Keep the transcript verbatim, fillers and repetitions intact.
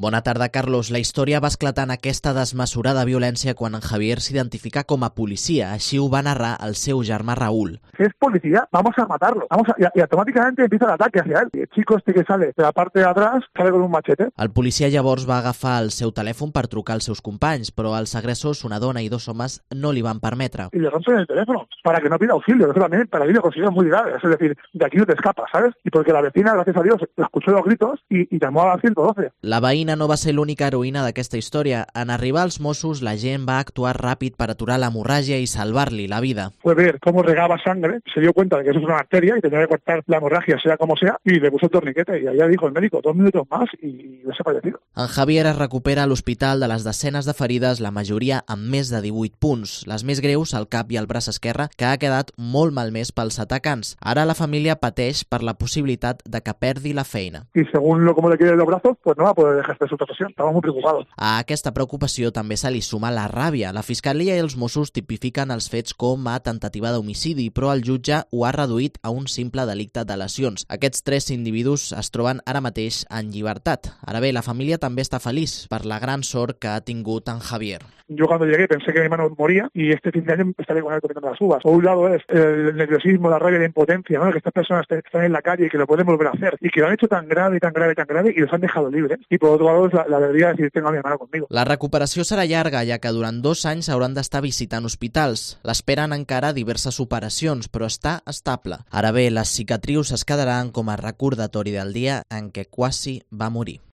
Bona tarda, Carlos. La història va esclatar en aquesta desmesurada violència quan en Javier s'identifica com a policia. Així ho va narrar el seu germà Raúl. Si es policía, vamos a matarlo. Vamos a, y, y automáticamente empieza el ataque hacia él. Y el chico este que sale de la parte de atrás sale con un machete. El policia llavors va agafar el seu telèfon per trucar als seus companys, però els agressors, una dona i dos homes, no li van permetre. Y le rompen el teléfono para que no pida auxilio. Eso también para mí lo considero muy grave. Es decir, de aquí no te escapas, ¿sabes? Y porque la vecina, gracias a Dios, escuchó los gritos y, y llamó a la ciento doce. La veïna no va ser l'única heroïna d'aquesta història. En arribar als Mossos, la gent va actuar ràpid per aturar l'hemorràgia i salvar-li la vida. Fue ver cómo regaba sangre, se dio cuenta de que eso es una arteria y tenía que cortar la hemorragia, sea como sea, y le puso el torniquete. Y allá dijo el médico, dos minutos más y hubiese fallecido. En Javier es recupera a l'hospital de les desenes de ferides, la majoria amb més de divuit punts. Les més greus al cap i al braç esquerre, que ha quedat molt malmès pels atacants. Ara la família pateix per la possibilitat de que perdi la feina. Y según lo como le queden los brazos, pues no va a poder ejercer su profesión. Estamos muy preocupados. A aquesta preocupació també se li suma la ràbia. La Fiscalia i els Mossos tipifiquen els fets com a temptativa d'homicidi, però el jutge ho ha reduït a un simple delicte de lesions. Aquests tres individus es troben ara mateix en llibertat. Ara bé, la família també està feliç per la gran sort que ha tingut en Javier. Yo cuando llegué pensé que mi hermano moría y este fin de año estaré con él comiendo las uvas. Por un lado es el nerviosismo, la rabia y la impotencia, ¿no? Que estas personas están en la calle y que lo pueden volver a hacer y que lo han hecho tan grave y tan grave y tan grave y los han dejado libres. Y por otro lado es la, la alegría de decir tengo a mi hermano conmigo. La recuperació serà llarga, ja que durant dos anys hauran d'estar visitant hospitals. L'esperen encara diverses operacions, però està estable. Ara bé, les cicatrius es quedaran com a recordatori del dia en què quasi va morir.